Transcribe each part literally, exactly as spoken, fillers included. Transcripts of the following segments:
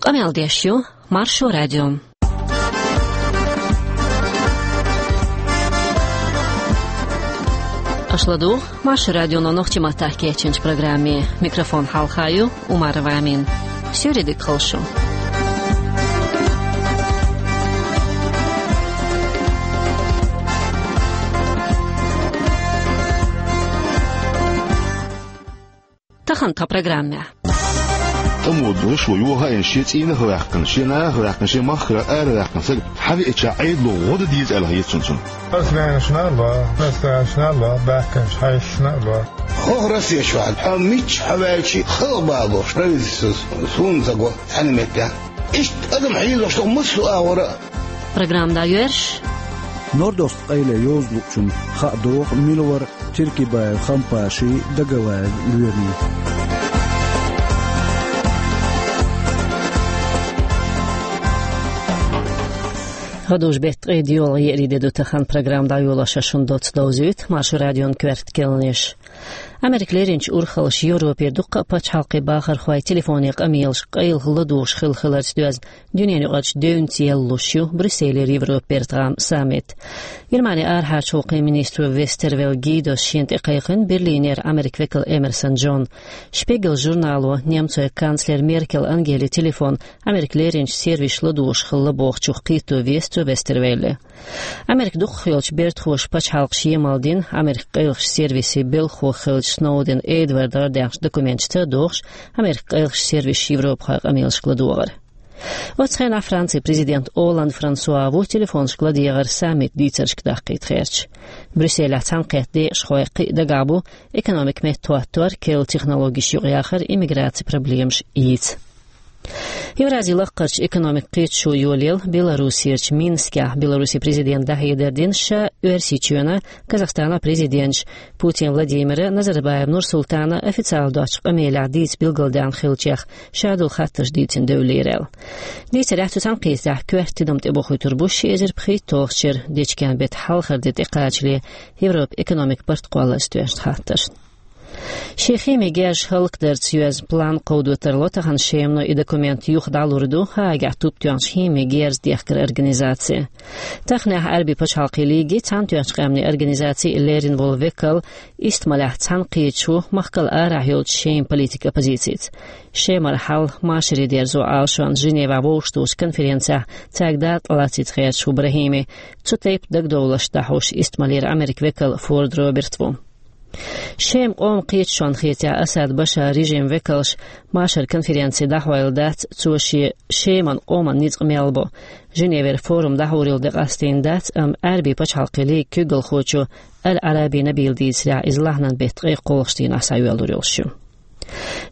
Къамел деш ю Маршо радио. Аша ладугӀу Маршо радионо нохчийн маттахь кечйинчу программе. Микрофон хьалха ю Умарова Амина. Суьйре дика хуьлда шу. Тахана тхан программехь. ТӀамо долуш ву, йохаийна шен цӀийнах а ваьккхина, шен нахах а ваьккхина, шен махкара ара а ваьккхина сага хьан веача Ӏедало гӀо дан деза аьлла хета цунна. Ас венашна а ло, ас венашна а ло, баьхкинчу хьаьшашна а ло. ХӀокху Россия чохь хьо миччахьа ваьлча а халкъ балош, правительство суна ца го цхьана меттехь. Иштта адам хьийзош ду массо а агӀора а. Программа дӀайоьрзуш. Нордост къайле йовзалучунна хаа догӀу мила вара Тиркибаев Хампаший, Дагалаев Лоьмий. ГӀадужу беттан ткъе доьалгӀа еарин де ду тахана. Программа дӀайолош шуна доцца довзуьйту Маршо радион коьрта кхаьънаш. Америка леринчу урхаллаша Европера дуккха а пачхьалкхийн бахархой телефонан къамелаш къайлаха ладугӀуш хилла хиларца доьзна, дуьненаюкъарчу девнца яьллуш ю Брюсселера Европан бертан гӀаман саммит. Германин арахьарчу гӀуллакхийн министро Вестервелл Гидос шена тӀе кхайкхина Берлинера Америкин векал Эмерсон Джон. Шпигел журнало немцойн канцлер Меркел Ангелин телефон Америка леринчу сервисаша ладугӀуш хилла бохучух кхетаде веза цо Вестервелле. Америка дукхах йолчу бертахоша пачхьалкхаша емал дина Америкин къайлахчу сервисийн белхахо хиллачу Сноуден Эдвардагара даьхначу документашца а догӀуш, Америкин къайлахчу сервисаша европахойн къамелашка ладогӀар. Оццу хенахь Францин президент Олланд Франсуа ву телефонашка ладегӀар саммитан дийцаршка даккхийта хьаьрча. Брюсселехь цхьаьнакхетта декъашхой кхин а дагахь бу экономикан меттахӀоттор, керла технологеш юкъаяхар, иммиграцин проблемаш йийца. Евразин лаккхарчу экономикан кхеташо йолаелла Белоруссерчу Минскехь. Белорусин президента дӀахьедар дина ша Оьрсийчоьнан, Казахстанан президенташа Путин Владимиран, Назарбаев Нурсултанан официалан доцчу къамелехь дийца билгалдаьхна хиллачех шадолу хаттарш дийцина девлла лерина. Дийцарехь, цу цхьаьнакхетарехь коьрта тидам тӀебохуьйтур бу ши эзар пхийтталгӀачу шеран дечкен беттан хьалхара де тӀекхачале Европан экономикан барт кхолларца доьзначу хаттаршна. Шен химин герзаш хӀаллакдарца йоьзна план кховдо тарло тахана Шемано. И документ юха дӀалур ду Гаагехь туп тоьхначу химин герз дехкаран организаци. Таханехь Ӏаьрбийн пачхьалкхийн лигий, Цхьаьнатоьхначу Къаьмнийн Организаций леррина волу векал Истамалехь цхьаьнакхеташ ву махкал арахь йолчу Шеман политикан оппозицица. Шемара хьал машаре дерзо Ӏалашонца Женевехь вовшахтухучу конференцехь цаьрга дакъа лацийтта гӀерташ ву Брахими. Цу тайпа дагадовларш дӀахьош Истамалера Америкин векал Форд Роберт ву. Шеман къоман кхеташонна хетахь, Асад Башаран режиман векалш машаран конференци дӀахьойла дац, цо шен Шеман къоман ницкъ мел бо. Женевера форум дӀахьур йолу де къастийна дац, амма Ӏаьрбийн пачхьалкхийн лигин куьйгалхочо Аль-Ӏараби Набила дийцарехь, иза лахьанан беттан ткъе кхоалгӀачу дийнахь схьайоьллур йолуш ю.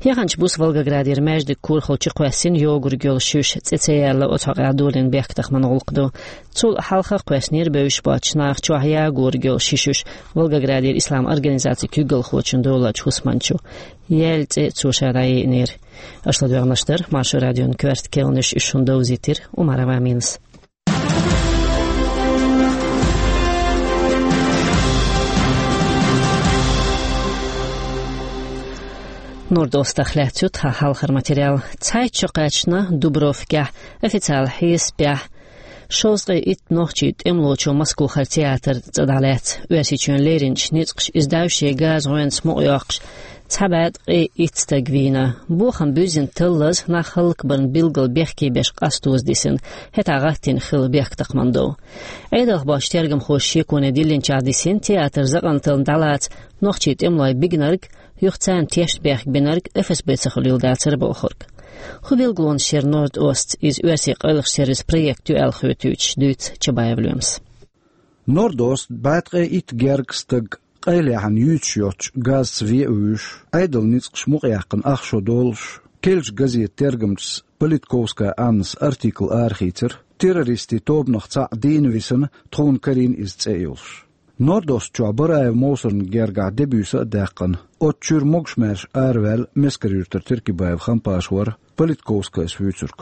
Яханчу буса Волгоградера маьждиган корахула чукхоьссина йогург йолу шуьш, цӀе ца яьлла, оцу хьокъехь долийна бехктакхаман гӀуллакх ду. Цул хьалха кхоьссинера бевзаш боцчу наха чохь ягорг йолу ши шуьш Волгоградера исламан организацин куьйгалхочун долчу хӀусамчо. Яьлла цӀе цо ша дӀайиънера. Аша ладоьгӀнарш дара Маршо радион коьрта кхаьънаш, уьш шуна довзийтира Умарова Аминас. Нордостах лаьцна ю тхан хьалхара материал. Цхьайтта шо кхаьчна Дубровкехь, официалан хьесапехь, шовзткъе итт нохчийн тӀемалочо Москвахара театр цӀа дӀалаьцна. Оьрсийчоьнан леринчу ницкъаша иза дӀаьвше газан гӀоьнца мукъайоккхуш, цхьа бӀе ткъе итт стаг вийна. Бохам буьззина таллаза нах хӀаллакбарна билггал бехке беш къастоза дисина, хӀетахь гӀаттийна хилла бехктакхаман дов. Ӏедалх боцчу тергамхоша шеконе диллинчохь дисина, театр закъантална дӀалаца нохчийн тӀемалой бигнарг, юха царна тешнабехк бинарг Эф С Б ца хуьлийла дацара бохург. ХӀун билгалонаш яра Норд-Остца, иза оьрсийн къайлахчу сервисан проект ю аьлла хоьтуьйтуш, дуьйцу Чабаев Лоьмас. Норд-Ост бӀе ткъе итт гергга стаг къайлаяхьана юьйцуш йоцчу газца вен а вуьйш, Ӏедалан ницкъаш мукъаяьккхина ах шо долуш, керлачу газетан тергамчаца Политковская Аннас артикл арахийцира, террористийн тобанах цхьаъ дийна висина, тхуна карийна иза цӀе а йолуш. Норд-Ост чохь Бараев Мовсарна гергахь де-буьйса а даьккхина, оцу чуьра могуш-маьрша араваьлла Мескар-Юьртара Тиркибаев Хампаш вара Политковскайс вуьйцург.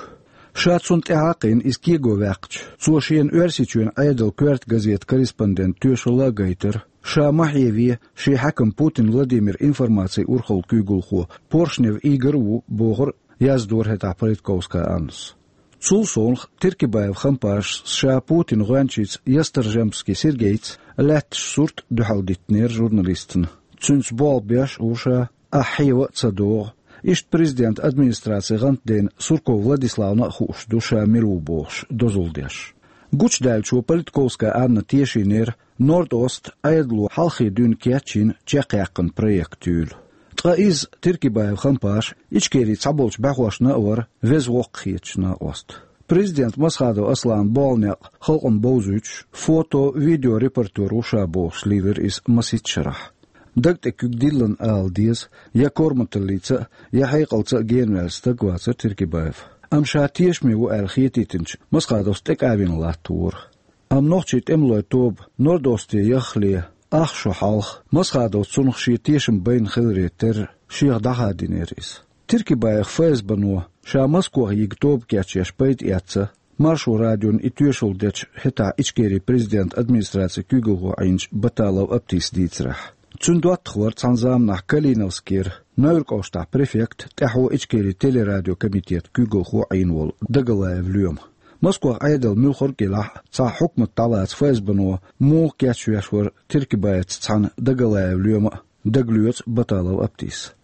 Ша цунна тӀаьхьа а кхиъна, иза кего ваьккхича, цо шена Оьрсийчоьнан Ӏедалан коьрта газетан корреспондентан тоьшалла а гайтира. Ша ма хьеве, шен хьаькам Путин Владимиран информацин урхалла куьйгалхо Поршнев Игорь а ву, бохура яздора хӀетахь Политковская Аннас. Цул совнаха Тиркибаев Хампаш ша Путин гӀоьнчица Ясторжемский Сергейца лаьтташ сурт дуьхьал диттинера журналистана. Цуьнца болх беш а ву ша, ахь хьева а ца догӀу. Иштта президентан администрацин гӀантдена Сурков Владиславна а хууш ду ша мила ву бохуш, дозалла деш. Гучудаьллачо Политковская Анна тешийнера Норд-Ост Ӏедало хьалхе дуьйна кечйина чекхъяьккхина проект юйла. Ткъа иза Тиркибаев Хампаш Ичкерин цхьаболчу бӀаьхошна а вара, веза воккха хеташ накъост. Президент Масхадов Асланан болх-некъ халкъана бовзуьйтуш, фото, видео репортер ву ша бохуш лелира иза масийтта шарахь. Даг тӀе куьг диллина ала деза, я корматаллица а, я хьекъалца а генаваьлла стаг вацара Тиркибаев. Амма ша тешаме ву аьлла хетийтинчу Масхадовс тӀекӀа а вина латтавора. Амма нохчийн тӀемалойн тоба Норд-Осте яххале, ах шо хьалха, Масхадовс цунах шен тешам байна хиларе терра, шех дӀахадийнера иза. Тиркибаев ФСБ-но ша Москвахь йига тоба кечъеш пайда эцна, Маршо радиона и тоьшалла дечу хӀетахь Ичкерин президентан администрацин куьйгалхо Ӏийначу Баталов Аптис дийцарехь. Цуьнан доттагӀа вара цхьана заманахь Калиновскера, Невран кӀоштахь префект, тӀаьхьо Ичкерин телерадиокомитетан куьйгалхо Ӏийна волу Дагалаев Лоьма. Москвахь Ӏедал муьлхарг а елахь а, цхьа хьукмат дӀалаца ФСБ-но муха кечвеш вара Тиркибаевца цхьаьна Дагалаев Лоьма а, дагалоьцу Баталов Аптис.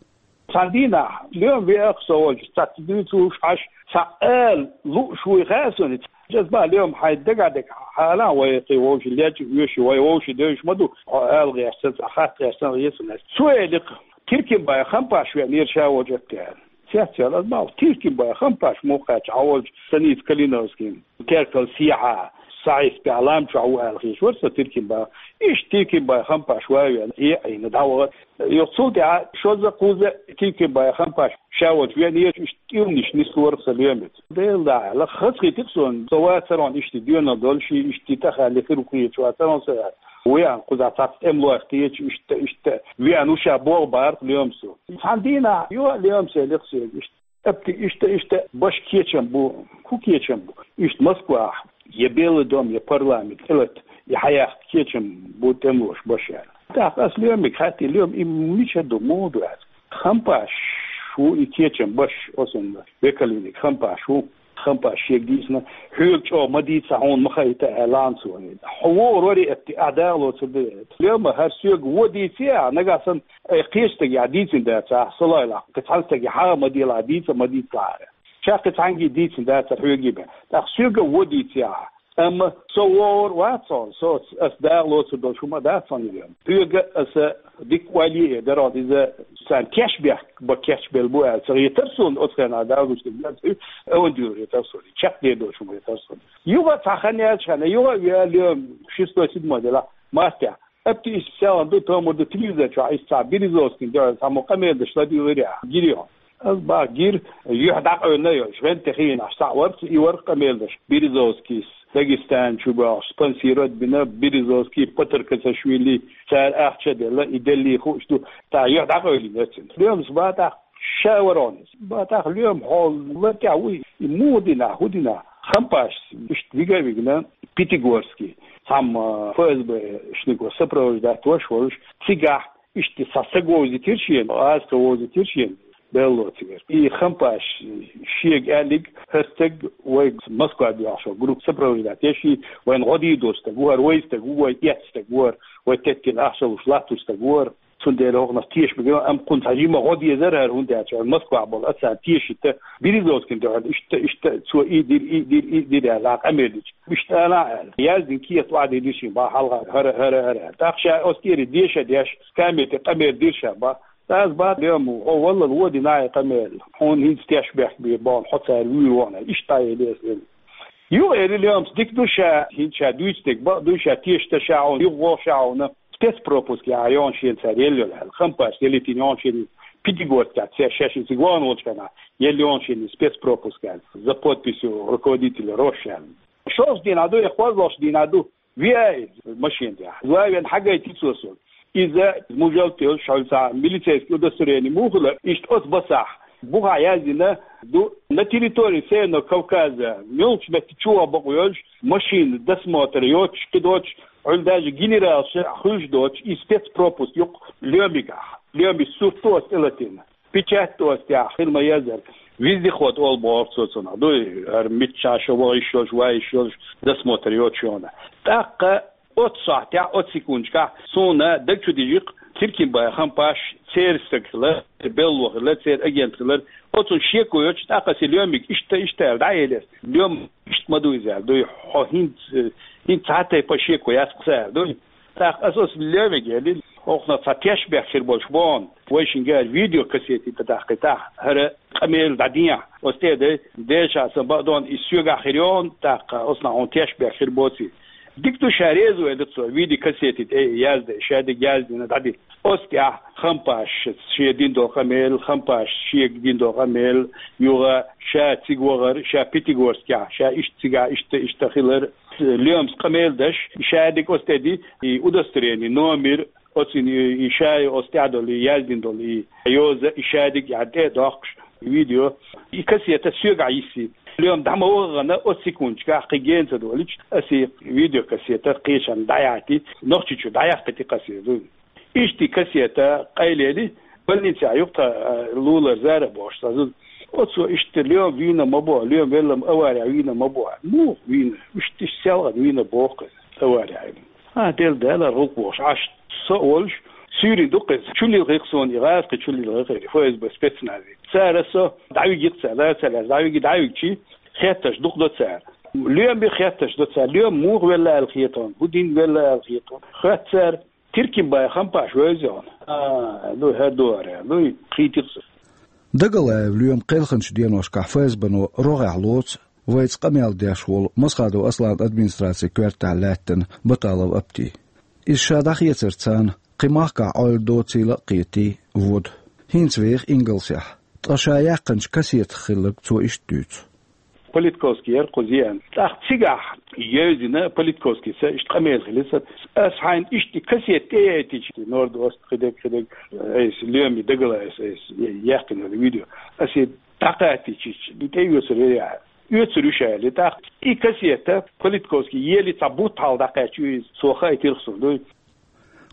Цхьана дийнахь Лоьма веара со волчу, цхьацца дуьйцуш Ӏаш, цхьа ала лууш вуй хаьа суна. Ас боху: «Лоьма, хьайн дагахь дерг хьалха вай кхин вовшийн лечкъа оьший, вай вовшийн девзаш ма ду, хьо ала гӀерташ санна, цхьа хатта гӀерташ санна гӀе суна». Цо элира: «Тиркимбаев Хампаш веанера ша волчу», — аьлла. Цецвелла ас боху: «Тиркимбаев Хампаш муха кхаьчна хьо волчу станица Калиновскин, Теркал сехьа, Саиспехь лам чохь ву аьлла хеташ вара со Тиркимбаев. Иштта Тиркимбаев Хампаш ван а веана, Ӏе а Ӏийна, дӀавахара». Юха цул тӀаьхьа шозза-кхузза Тиркимбаев Хампаш ша волчу веанера, иштта тӀеманаш нислора сан Лоьмица. Дела дӀа аьлла, хазахийтира суна, со вацара хьуна иштта доьналла долуш, иштта тӀехь аьлла хир ву хеташ вацара хьуна со аьлла. Веана кхузахь цхьацца тӀемалойх кхеташ, иштта, иштта веана ву ша боху бахара Лоьмас. Цхьана дийнахь юха а Лоьмас элира соьга иштта: «Апти, иштта, иштта баш кечам бу». «ХӀун кечам бу?» «Иштта Москвахь я Белый дом, я парламент тӀелатта, и хьаяккха кечам бу тӀемалоша баш», — аьлла. ТӀаккха ас Лоьмига хаьттира: «Лоьма, и мича ду, муха ду?» — аьлла. «Хампаш ву и кечам баш, оцунна векалвиниг Хампаш ву. Хампаш шега дийцина, хьоьга чӀогӀа ма дийца, хьуна ма хаийта аьлла цо. Хьо вогӀур вара, Апти, ахь дагӀа лоцур дара». «Лоьма, хӀара соьга вон дийци ахь, нагахь санна, ай, кхечу стагехь дийцина дацахь, со лойла, кхин цхьана стагехь хьан а ма делахь, дийца а ма дийцалахь». Ша кхин цхьаьнгге дийцина дацара хьоьга бен. ТӀаккха соьга а вон дийци ахь. Амма со вогӀур вац хьуна, со, ас дагӀа лоцур долуш хӀума дац хьуна иза. Хьоьга аса дика ойла е дара хьуна иза, царна кешнабехк бан кечбелла бу аьлла ца хетара суна, оцу хенахь дагӀа луш дерг дац, аван дуьйла хетара суна, чекхдер долуш хӀума хетара суна. Юха а цхьа хан яьлча хьаьна, юха а веа Лоьма шестой, седьмой делахь мартехь. Апти, иштта селхана ду, томар ду, телевизор чохь иштта цхьа Березовскийна дуьхьал цхьаммо къамел деш ладуьйлира ахь, гирий хьуна? Ас боху: «Гира, юьхь дӀакъевлина йолуш, гӀенте хиъна ахь схьа а вара, и вара къамел деш. Березовскийс Дагестан чу бохуш, спонсировать бина, Березовский, Патаркасашвили, цара ахча а делла, и деллий хууш ду, тӀаккха юьхь дӀакъевлина яцина». Лоьмас боху тӀаккха: «Ша вара хьуна иза». Боху тӀаккха Лоьма: «Хьо лар тӀехь вуй, и муха дина, хӀун дина?» Хампашца иштта вига а вигна, Пятигорский, цхьамма ФСБ-шниг сопровождать деш волуш, цигахь иштта цхьа стаг вовзийтира шена, гӀазкхи вовзийтира шена, белло цигара. И Хампаш шега аьллиг: «ХӀара стаг вайга Москва боьхуш волу группа сопровождать еш, и вайна гӀо дийр долу стаг ву хӀара, вай стаг ву, вай эцна стаг ву хӀара, вай теттина ахча луш латтош стаг ву хӀара. Цундела хӀокхунах теша мегар ду, амма кхунна цхьа жима гӀо дезара хӀара, хӀунда аьлча Москвахь болу аса тешийта, Березовскийна дуьхьал иштта, иштта, цо и дира, и дира, и дира аьлла, къамел дича. Иштта ала аьлла. Яздина кехат охьадийдира шена, боху, хьалха хӀара, хӀара, хӀара аьлла. ТӀаккха ша оцу тӀера деша деш, камера тӀе къамел дира ша, боху. Ас боху Лоьма: хьо валлал вон дина и къамел, хьуна хӀинца тешнабехк бен боху, хьо цара вуьйр ву хьуна, иштта дӀаелира аса». Юха элира Лоьмас: «Дика ду ша, хӀинца ша дуьйцу дерг, бакъ ду ша, тешаш ду ша хьуна, юха вогӀу ша хьуна». Спецпропуск яхьа йогӀу шена цара елла йолу аьлла. Хампашца елийтина йогӀу шена, Пятигорскехь цара шаьш цига вахана волчу хенахь елла йогӀу шена спецпропуск аьлла, за подписью руководителя Рош аьлла. ШолгӀачу дийнахь ду я кхозлагӀчу дийнахь ду, веа иза машина тӀехь. Ван а веана, хьагайтира цо суна. Иза мужалт йолуш, хьуьлла цхьа милицейский удостоверение муха хуьлу, иштта оцу басахь бухахь яздина ду: «На территории Северного Кавказа, муьлххачу метте чу ваха бакъо йолуш, машина досмотр йоцуш, кхин доцуш, хьуьлла даже генералша хуьлуш доцуш, и спецпропуск ю-кх Лоьмигахь». Лоьмин сурт ду оцу тӀелатийна, печать ду оцу тӀехь, хила ма-еззара. Вездеход олу боху цо цунах. Дуй, хӀара миччахьа шо ваха йиш йолуш, ван йиш йолуш, досмотр йоцуш йогӀу. ТӀаккха оццу сохьтехь, оццу секундашкахь суна даг чу дижи-кх Тиркимбаев Хампаш, церан стаг хилар, белло хилар, церан агент хилар. Оцунна шеко йоцуш, тӀаккха аса лоьмиг иштта, иштта аьлла дӀаэлира. Лоьма иштта ма ду иза аьлла. Дуй, хьо хӀинца, хӀинца цхьа тайпа шеко яц-кх сан аьлла. Дуй, тӀаккха аса оцу лоьмига элира, хӀокхунах цхьа тешнабехк хир болуш боху, вайшинга аьлла видеокассети тӀе дахкийтахьа, хӀара къамел дӀадехьа. Оцу тӀе а дай, дешахь сан бакъдонна иза соьгахь хир йогӀу, тӀаккха оцунах хьуна тешнабехк хир боций. Дика ду, ша реза ву элира цо, видеокассети тӀе а яздан, ша дерг яздина дӀадина. Оцу тӀехь Хампаша шен дина долу къамел, Хампаша шега дина долу къамел, юха ша цига вахар, ша Пятигорскехь, ша иштта цигахь, иштта, иштта хилар. Лоьмас къамел деш, ша дерг оцу тӀе ди, и удостоверение, номер, оцу и, и ша оцу тӀехь долу, и яздина долу, и йоза, и ша дерг яхьа тӀе а доккхуш, видео. И кассета соьгахь йисси. Лоьма дӀа ма вахана, оцу секундашкахь кхин гена ца долуьйтуш, аса и видеокассета кхечарна дӀаяхьийти, Нохчийчу дӀаяхкийти кассета ду. Иштта и кассета къайлели, больницехь ю-кх тхан, а, Лулара Зара бохуш цхьа зуда. Оцо иштта лоьма вийна ма боху, лоьма велла-м аварехь вийна ма боху. Муха вийна? Иштта иштта селхана вийна боху-кх иза аварехь. А, Дела, Дала гӀуллакх бохуш, Ӏаш со а волуш, суьйре ду-кх иза. Чу лилхи-кх суна и гӀазкхи, чу лилхи-кх и ФСБ спецнази. Цара со дӀавиги-кх цара, лара ца лаьцна дӀавиги, дӀавигчи, хеттарш дукха до цара. Лоьма хеттарш до цара, лоьма муха велла аьлла хета хьуна, хӀун дина велла аьлла хета хьуна. Хоьтту цара, Тиркимбаев Хампаш вевза хьуна. А, ну, хӀара ду хӀара, ну, кхийтира-кх со. Дагалаев Лоьма кхелхинчу деношкахь ФСБ-но рогӀехь лоцу вайца къамел деш волу Масхадов Асланан администрацин коьртехь лаьттина Баталов Апти. Иза ша дӀахецар царна кхин махкахь Ӏойла доцийла а кхетий, воду. ХӀинца веха ингалсехь, ткъа ша яьккхинчу кассетах хилларг цо иштта дуьйцу. Политковский яра кхуза еана. ТӀаккха цигахь евзина Политковскийца, иштта къамел хилира сан. Аса хьайна иштта и кассета тӀеяйтича, Норд-Ост, кхидерг, кхидерг, айса, Лоьма, Дагалаев, айса, яьккхина видео. Аса и дӀакхачийча, и тӀеоьцур яра ахьа. Оьцур ю ша аьлла. ТӀаккха и кассета Политковский ели цхьа бутт хьалха дӀакхаьчна ю иза, цо хаийтира-кх суна, дуй.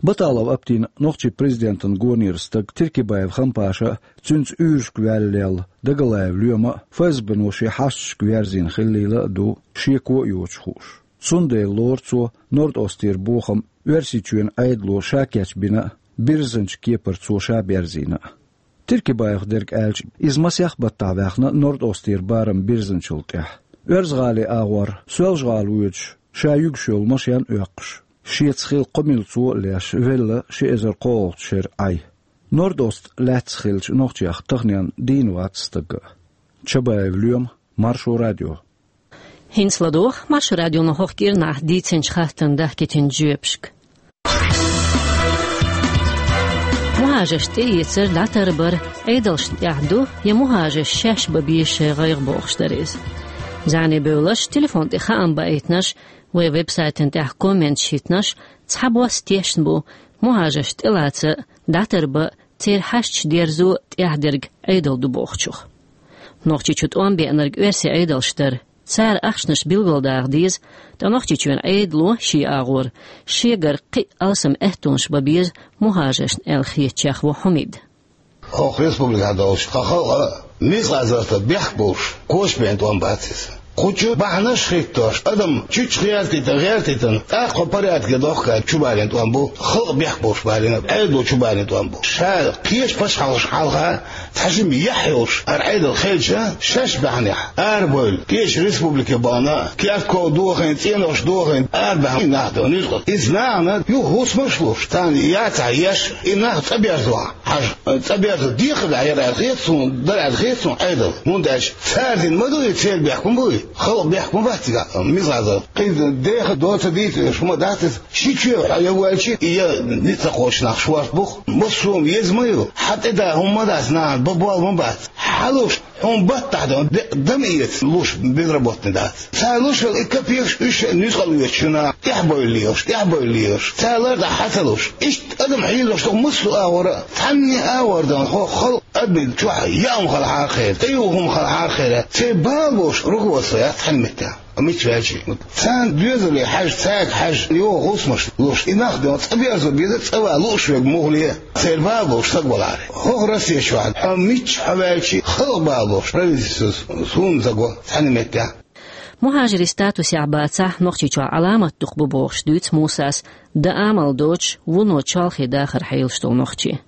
Баталов Аптина нохчийн президентан гонера стаг Тиркибаев Хампаша а, цуьнца уьйрашка ваьлла лелла Дагалаев Лоьма а ФСБ-но шен хьашташка верзийна хиллийла а ду, шеко а йоцуш хууш. Цундела лору цо Норд-Остера бохам Оьрсийчоьнан Ӏедало ша кечбина а, бирзинчу кепара цо ша берзийна а. Тиркибаевх дерг аьлча, иза масех баттахь ваьхна Норд-Остера барам бирзинчул тӀаьхьа. Оьрза-ГӀалин агӀор Соьлжа-ГӀала воьдуш, ша юьгуш йолу машен а оьккхуш, шеца хилла кхо милла цо а леш, велла ши эзар кхоалгӀачу шеран Ӏай. Норд-Ост лаьцна хиллачу нохчех таханенна дийна вац стага а. Чабаев Лоьма, Маршо радио. ХӀинца ладогӀа Маршо радионо хӀокху кӀирнахь дийцинчу хаттарна дахкийтинчу жоьпашка. Мухьажарш тӀеэцар, дӀатарбар Ӏедалшна тӀехь ду, я мухьажарш шаьш бан беза шайн гӀайгӀа бохуш дара иза? ЗӀене бевлларш, телефон тӀе хаам баийтинарш, вайн веб-сайтана тӀехь комменташ хӀиттинарш, цхьабосса тешна бу, мухьажарш тӀелаца, дӀатарбан, церан хьашташ дерзо тӀаьхьа дерг Ӏедал ду бохучух. Нохчийчу тӀом беанарг оьрсийн Ӏедалш дара. Цара ахчанаш билгалдаха деза, ткъа Нохчийчоьнан Ӏедало шен агӀор шегара кхин а алсам аьттонаш бан беза мухьажаршна аьлла хетачех ву Хьумид. ХӀокху республикехь долуш тхан халкъан мискъал зарратан бехк болуш, коча бен тӀом бац иза. Кху чу бахьанаш а хӀиттош, адам чучча гӀертийтина, гӀертийтина, тӀаккха порядке дохка чубалийна тӀом бу, халкъан бехк болуш балийна, Ӏедало чубалийна тӀом бу. Ша кхечу пачхьалкхашна хьалха цхьа жима яхь йолуш хӀара Ӏедал хилча, шаьш баьхьнехь арабевлла, кхечу республике бахана, керта ков дохийна, цӀенош дохийна, арабаьхна нах ду, нуьцкъала. Иза нахана юха хӀусамаш а луш, царна яцахь еш, и нах цӀа берзо хьажа. ЦӀа берзо дехар дӀа яра аьлла хета суна, дара аьлла хета суна Ӏедал. ХӀунда аьлча цара дина ма ду и, церан бехк ма бу и. Халкъан бехк ма бац цигахь, мискъал зарратан. Кхин деха доцу дийца уьш хӀума дац иза. Ши чоь хьо я воьлча, я ницкъ ца кхочу нах шорта бу-кх. Массо а еза ма ю. Хьан тӀе да хӀума ма дац, нахана бан болла ма бац. Хьалуш, хьуна баттахь дан, де-, дама эца луш безработный дац. Цара луш йолу и капекаш уьш нуьцкъала оьцучу наха тӀаьхьабевлла лелаш, тӀаьхьабевлла лелаш. Цара лар тӀехь хьан ца луш. Иштта адам хьийзош ду массо а агӀор а. Цхьанне а агӀор дан хӀокху халкъан адамийн чохь яа хӀума хала хьархьера, тӀеюху хӀума хала хьархьера. Церан бала болуш руководство Яц хьан меттехь, а мича ваьлчи? Царна доьзале хьаьжа, цаьрга хьаьжа, йогӀу хӀусамаш луш, и нах де цӀа берзо беза, цӀа ван лууш верг муха ле, церан бала болуш саг валахьара. ХӀокху Россия чохь, хьо мича хьо ваьлчи, халкъ бала болуш, правительствос суна ца го цхьана меттехь. Мухьажарийн статусехь бацахь, Нохчийчохь Ӏаламат дукха бу бохуш дуьйцу Мусас, дан амал доцуш, вуно чолхе дахар хьелаш долу нохчи.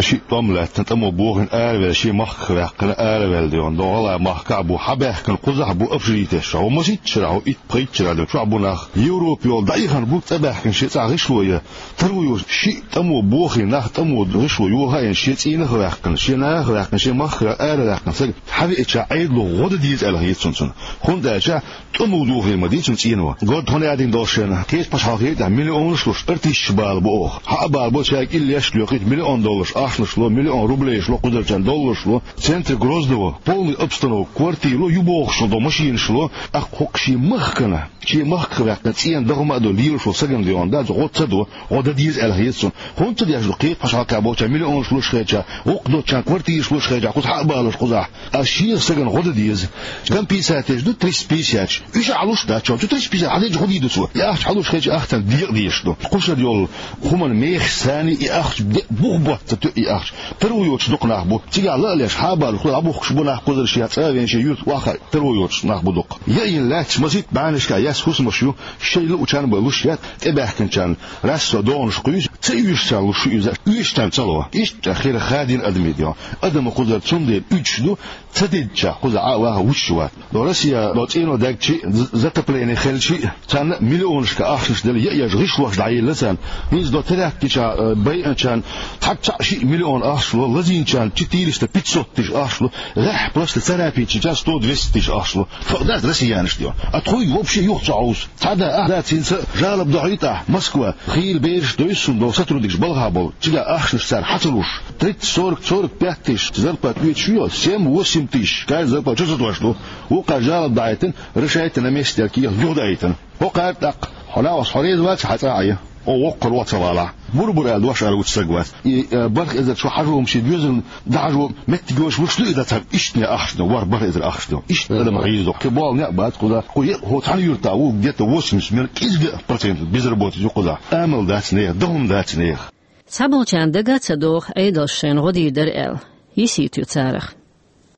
Шиъ тӀом лаьттина, тӀамо бохийна араваьлла, шен махках ваьккхина араваьлла дегӀан, догӀала махкахь а бу, хьабаьхкина кхузахь а бу, общежитеш чохь, масийтта шарахь, итт-пхийтта шарахь ду, чохь бу нах, Европа йолу даихана бу, цӀа баьхкина шен цӀахь гӀишло ян, таро йолуш, шиъ тӀамо бохийна нах, тӀамо гӀишло йохийна, шен цӀийнах а ваьккхина, шен нахах а ваьккхина, шен махках а араваьккхина саг хьавеача, Ӏедало гӀо дан деза аьлла хета суна цунна. ХӀунда аьлча тӀом а дохийна ма ду цуьнан цӀено. Горда хӀун яздина долуш шена, кхечу пачхьалкхе тӀехь миллионаш луш, артисташ бала бу оха. Хьа а бала бу, шайга иллеш а лоькхуьйту, миллион долларш ахчанаш ло, миллион рублеш ло, кхузарчарна долларш ло. Центр Грозного полный обстановка, квартира ло, ю бохуш ло, машинаш ло. ТӀаккха хӀокху шен махкана, шен махках ваьккхина цӀена дан хӀума а ду, лелаш волу сагана дегӀан дац, гӀо ца до, гӀо дан деза аьлла хета суна. ХӀунда ца деш ду, кхечу пачхьалкхехь болчарна миллионаш луш хилча, вукху доцчарна квартираш луш хилча, кхуза хьа а балуш кхузахь. Ас шех сагана гӀо дан деза. Компенсацеш ду триста пятьдесят. Уьш а хьалуш дац, чу триста пятьдесят хьалхечу гӀо дийр ду цо. И ахча хьалуш хилча, ахчан декъа дезаш ду. Кхушара йолу хӀуманан мехаш санна и ахча де-, бух ботта ца тоьу и ахча. Таро йоцуш дукха нах бу. Цигахь ла а леш, хьа а балуш, кхуза дӀабухкуш бу нах, кхузара шен цӀа а веана, шен юьрта охьахаа таро йоцуш нах бу дукха. Яйина лаьтташ масийтта бӀеннашкахь яьсса хӀусамаш ю, шайн луучарна бен луш яц, тӀебаьхкинчарна расса догӀанаш кхуьйсу, ца оьшучарна луш ю иза, оьшучарна ца ло. Иштта хир хадийна адамийн дегӀан. Адам кхузара цундела уьдуш ду, ца дедча, кхуза Ӏа а ваха вуьсуш вац. Но Россия, но цӀено даьгчи, з-, затопление хелчи, царна а миллионашка ахчанаш делла, я еш гӀишлош дӀаелла царна. ХӀинца до терактича, э, байанчарна цхьа цхьаъ шиъ миллион ахча ло, лазийначарна четыреста, пятьсот тысяч ахча ло, гӀеххьа просто царапинчича сто двести тысяч ахча ло. Тхо дац россиянаш дегӀан. А тхуй вообще юха ца хьовсу. Цхьа да, а, дац, хӀинца жалоб дохьуьйту ахь, Москва, хийра бераш дойсу суна долу сотрудникаш балхахь болу, цигахь ахчанаш цара хьа ца луш, тридцать, сорок, сорок пять тысяч зарплата оьцуш ю, семь-восемь тысяч, каждый зарплата чу ца тош ду. Вукхара жалоб дахьийтина, решайте на месте аьлла кехат юха даийтина. ХӀокхара тӀаккха, хьо нагӀаш хьо реза вац, хьан цӀа а Ӏе, о, воккхар вац а валахь. Бур-бур аьлла дош ара вуьту саг вац. И, э, барх эзар чу хьажо-м шен доьзална дӀахьажо, меттиг йош вуш ду и дан цхьа иштта ахча дан, вар барх эзар ахча дан. Иштта адам хьийза ду. Кхин болу некъ бац кхуза. Кху е-, хӀо цхьана юьртахь ву где-то восемьдесят, мел кӀезга процент безработица ю кхузахь. Амал дац нехан, дан хӀума дац нехан. Цхьаболчарна дага а ца догӀу Ӏедалша шайна гӀо дийр дара аьлла. Йисийта ю царах.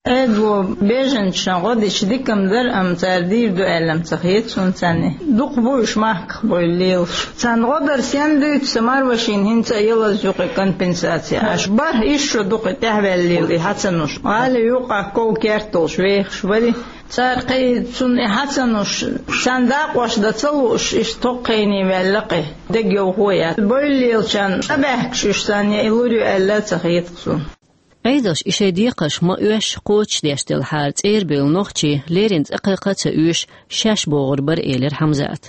Ӏедало беженцашна гӀо дича дика-м дара, амма цара дийр ду аьлла-м ца хета суна царна. Дукха бу уьш махках бевлла лелаш. Царна гӀо дар сенна дуьйцу, сан марвашийна хӀинца а ялаза ю кхин компенсаци. Аша бархӀ исс шо ду кхин тӀаьхьаваьлла лела и хьа ца луш. ГӀали юкъахь ков керт долуш вехаш вара. Цара кхин цунна и хьа ца луш, царна дакъош дан ца лууш, иштта тхоккхийне ваьлла кхин. Дегайовхо яц. Бевлла лелачарна цӀа баьхкаш уьш царна я и лур ю аьлла а ца хета суна. Ӏедалша и шайн декхарш ма-оьшшу кхочушдеш делхьара, цӀера бевлла нохчий леррина цӀа кхайкха а ца оьшуш, шаьш богӀур бара, элира Хьамзата.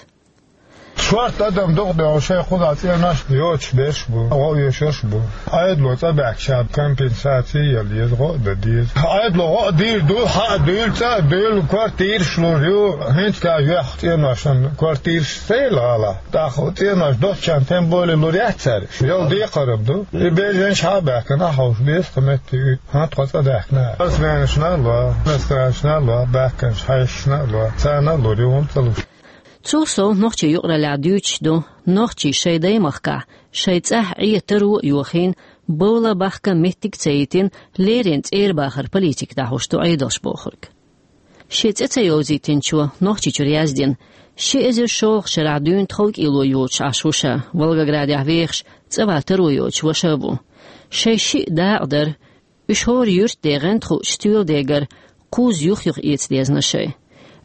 Шортта адам дукха догӀу шайн кхузахь цӀенош йоцуш берш бу, гӀо оьшурш бу. Ӏедало цӀа баьхкича компенсаци яла еза, гӀо а дан деза. Ӏедало гӀо а дийр ду, хьа а дуьйла, цӀа а дуьйла, квартираш лур ю, хӀинца а юьхь цӀеношна квартираш ца елла гӀала. ТӀаккха цӀенош доцчарна тем более лур яц цара. Йолу декхар-м ду. И беженцаш хьа а баьхкина, ахь хьовш беза кху метте уьйту. ХӀан тхо цӀа даьхкина. Спортсменашна а ло, иностранцашна а ло, баьхкинчу хьаьшашна а ло. Царна а лур ю, хӀунда ца луш? Цул сов нохчийн юкъараллехь дуьйцуш ду, нохчий шайн даймахкахь, шайн цӀахь Ӏе таро а йохийна, бовла бахка меттиг а ца йитина, леррина цӀера бахар политика дӀахьуш ду Ӏедалша бохург. Шен цӀе ца йовзийтинчо Нохчийчуьра яздина, ши эзар шолгӀачу шарахь дуьйна тховкӀело йоцуш Ӏаш ву ша, Волгоградехь вехаш, цӀа ван таро йоцуш ваша а ву. Шайн шиъ дакъа дара, уьш хӀора юьртде гӀанта хуучу стоьла дегара кхузза юх-юха эца дезна шайн.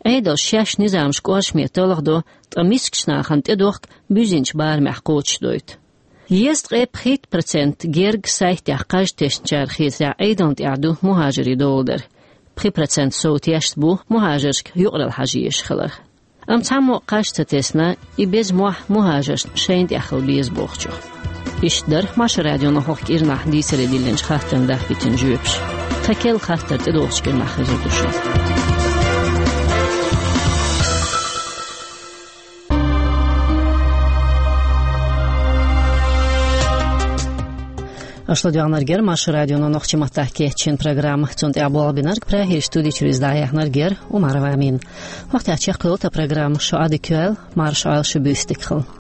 Ӏедалша шаьш низамаш кӀоршаме талхадо, ткъа мискачу нахана тӀедохку буьззинчу барамехь кхочушдойту. Езткъе пхийтта процент герга сайтехь кхаж тесначара хетарехь Ӏедална тӀехь ду мухӀажарийн доладар. Пхи процент сов тешна бу мухӀажаршка юкъаралла хьажа езаш хиларх. Амма цхьаммо а кхаж ца тесна, и беза мохь мухӀажаршна шайна тӀехь хила беза бохучух. Иштта дара Маршо радион хӀокху кӀирнахь дийцаре диллинчу хаттарна дахпийтина жоьпаш. Тхан керла хаттар тӀедогӀучу кӀирнахь хезар ду шуна. Аша ладоагӀнарг яр Маршо радионо нохчийн маттахь кечйина программа. Цунна тӀехь болх бинарг Прагера студи чуьра иза дӀаяьхьнарг яр Умарова Амина. ХӀокху тӀехь чекхйолу тхан программа, шун Ӏадика йойла, марша Ӏойла шу, буьйса дика хуьлда.